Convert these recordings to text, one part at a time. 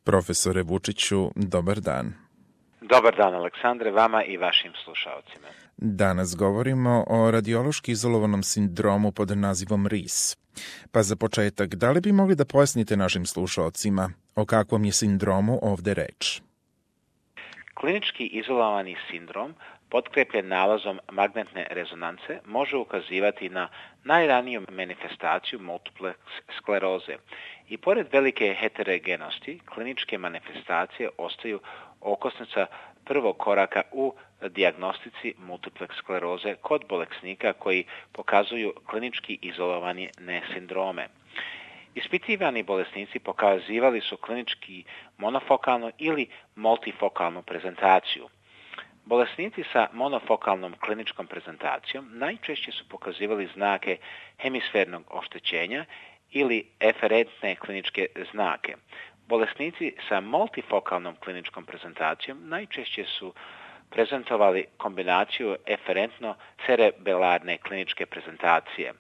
Profesore Vučiću, dobar dan. Dobar dan, Aleksandre, vama i vašim slušaocima. Danas govorimo o radiološki izolovanom sindromu pod nazivom RIS. Pa za početak, da li bi mogli da pojasnite našim slušaocima o kakvom je sindromu ovde reč? Klinički izolovani sindrom, potkrepljen nalazom magnetne rezonance, može ukazivati na najraniju manifestaciju multiple skleroze. I pored velike heterogenosti, kliničke manifestacije ostaju okosnica prvog koraka u dijagnostici multiple skleroze kod bolesnika koji pokazuju klinički izolovani sindrome. Ispitivani bolesnici pokazivali su klinički monofokalnu ili multifokalnu prezentaciju. Bolesnici sa monofokalnom kliničkom prezentacijom najčešće su pokazivali znake hemisfernog oštećenja ili eferentne kliničke znake. Bolesnici sa multifokalnom kliničkom prezentacijom najčešće su prezentovali kombinaciju eferentno-cerebelarne kliničke prezentacije.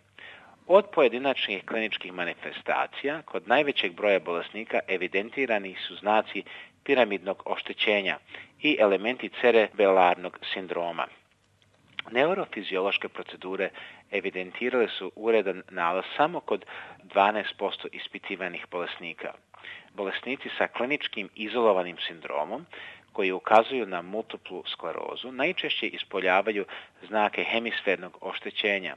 Od pojedinačnih kliničkih manifestacija, kod najvećeg broja bolesnika evidentirani su znaci piramidnog oštećenja i elementi cerebelarnog sindroma. Neurofiziološke procedure evidentirale su uredan nalaz samo kod 12% ispitivanih bolesnika. Bolesnici sa kliničkim izolovanim sindromom koji ukazuju na multiplu sklerozu najčešće ispoljavaju znake hemisfernog oštećenja,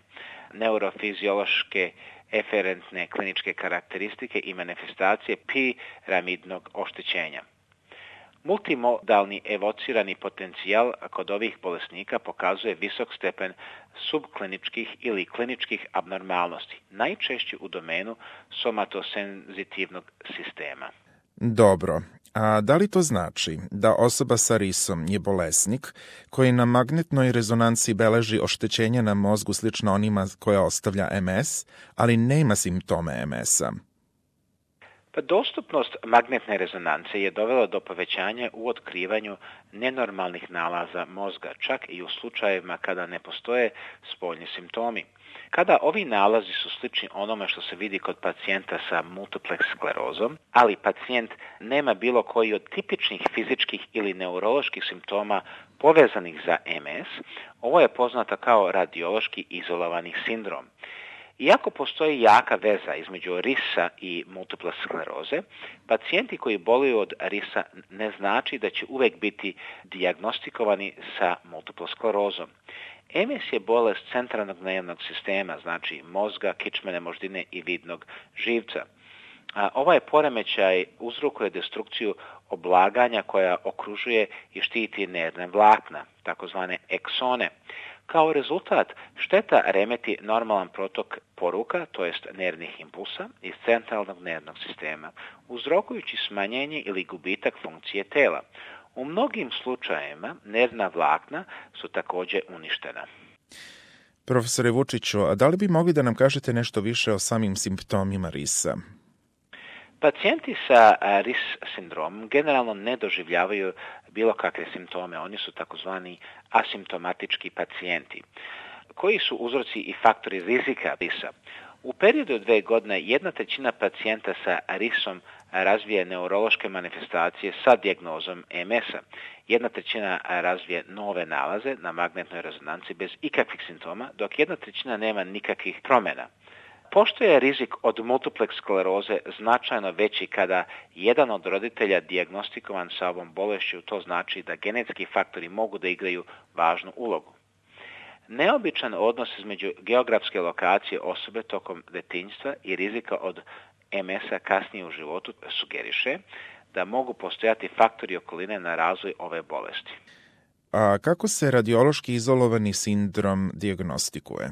neurofiziološke eferentne kliničke karakteristike i manifestacije piramidnog oštećenja. Multimodalni evocirani potencijal kod ovih bolesnika pokazuje visok stepen subkliničkih ili kliničkih abnormalnosti, najčešće u domenu somatosenzitivnog sistema. Dobro, a da li to znači da osoba sa RIS-om je bolesnik koji na magnetnoj rezonanci beleži oštećenja na mozgu slično onima koja ostavlja MS, ali nema simptome MS-a? Pa dostupnost magnetne rezonance je dovela do povećanja u otkrivanju nenormalnih nalaza mozga, čak i u slučajevima kada ne postoje spoljni simptomi. Kada ovi nalazi su slični onome što se vidi kod pacijenta sa multiple sklerozom, ali pacijent nema bilo koji od tipičnih fizičkih ili neuroloških simptoma povezanih za MS, ovo je poznato kao radiološki izolovani sindrom. Iako postoji jaka veza između RIS-a i multiple skleroze, pacijenti koji boluju od RIS-a ne znači da će uvek biti dijagnostikovani sa multiple sklerozom. MS je bolest centralnog nervnog sistema, znači mozga, kičmene moždine i vidnog živca. Ovaj poremećaj uzrokuje destrukciju oblaganja koja okružuje i štiti nervne vlakna, takozvane eksone. Kao rezultat, šteta remeti normalan protok poruka, to jest nervnih impulsa, iz centralnog nervnog sistema, uzrokujući smanjenje ili gubitak funkcije tela. U mnogim slučajevima nervna vlakna su također uništena. Profesore Vučiću, a da li bi mogli da nam kažete nešto više o samim simptomima RIS-a? Pacijenti sa RIS sindromom generalno ne doživljavaju bilo kakve simptome. Oni su takozvani asimptomatički pacijenti. Koji su uzroci i faktori rizika RIS-a? U periodu od 2 godine 1/3 pacijenta sa RIS-om razvije neurološke manifestacije sa dijagnozom MS-a. 1/3 razvije nove nalaze na magnetnoj rezonanci bez ikakvih simptoma, dok 1/3 nema nikakvih promjena. Pošto je rizik od multiple skleroze značajno veći kada jedan od roditelja dijagnostikovan sa ovom bolešću, to znači da genetski faktori mogu da igraju važnu ulogu. Neobičan odnos između geografske lokacije osobe tokom detinjstva i rizika od MS-a kasnije u životu sugeriše da mogu postojati faktori okoline na razvoj ove bolesti. A kako se radiološki izolovani sindrom dijagnostikuje?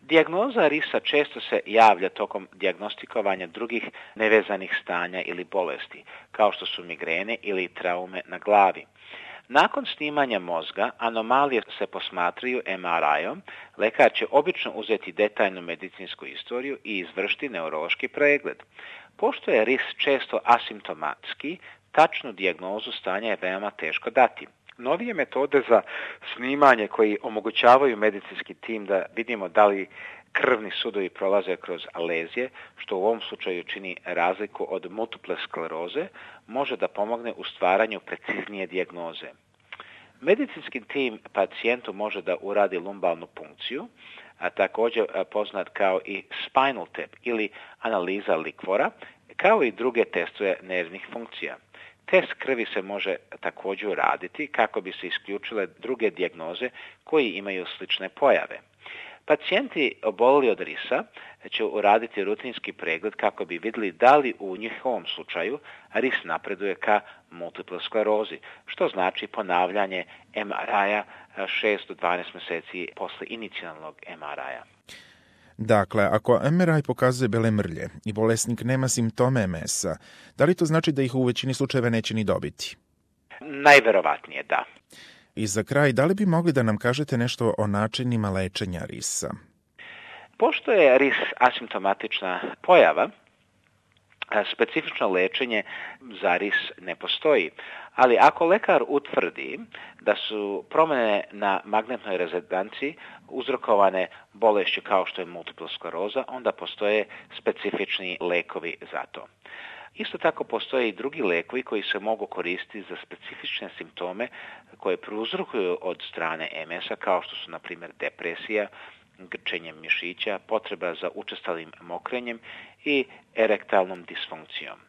Dijagnoza RIS-a često se javlja tokom dijagnostikovanja drugih nevezanih stanja ili bolesti, kao što su migrene ili traume na glavi. Nakon snimanja mozga, anomalije se posmatraju MRI-om, lekar će obično uzeti detaljnu medicinsku istoriju i izvršiti neurološki pregled. Pošto je RIS često asimptomatski, tačnu dijagnozu stanja je veoma teško dati. Novije metode za snimanje koji omogućavaju medicinski tim da vidimo da li Krvni sudovi prolaze kroz lezije, što u ovom slučaju čini razliku od multiple skleroze, može da pomogne u stvaranju preciznije dijagnoze. Medicinski tim pacijentu može da uradi lumbalnu punkciju, a također poznat kao i spinal tap ili analiza likvora, kao i druge testove nervnih funkcija. Test krvi se može također uraditi kako bi se isključile druge dijagnoze koji imaju slične pojave. Pacijenti obolili od risa će uraditi rutinski pregled kako bi vidjeli da li u njihovom slučaju ris napreduje ka multiple sklerozi, što znači ponavljanje MRI-a 6 do 12 mjeseci posle inicijalnog MRI-a. Dakle, ako MRI pokazuje bele mrlje i bolesnik nema simptome MS-a, da li to znači da ih u većini slučajeva neće ni dobiti? Najverovatnije da. I za kraj, da li bi mogli da nam kažete nešto o načinima lečenja risa? Pošto je ris asimptomatična pojava, specifično lečenje za ris ne postoji, ali ako lekar utvrdi da su promjene na magnetnoj rezonanciji uzrokovane bolešću kao što je multipla skleroza, onda postoje specifični lekovi za to. Isto tako postoje i drugi lekovi koji se mogu koristiti za specifične simptome koje prouzrokuju od strane MS-a, kao što su, na primjer, depresija, grčenje mišića, potreba za učestalim mokrenjem i erektalnom disfunkcijom.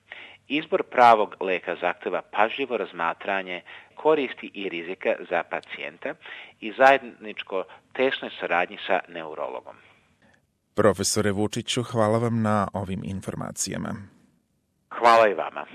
Izbor pravog leka zahteva pažljivo razmatranje koristi i rizika za pacijenta i zajedničko tesnoj saradnji sa neurologom. Profesore Vučiću, hvala vam na ovim informacijama. Hvala i vama.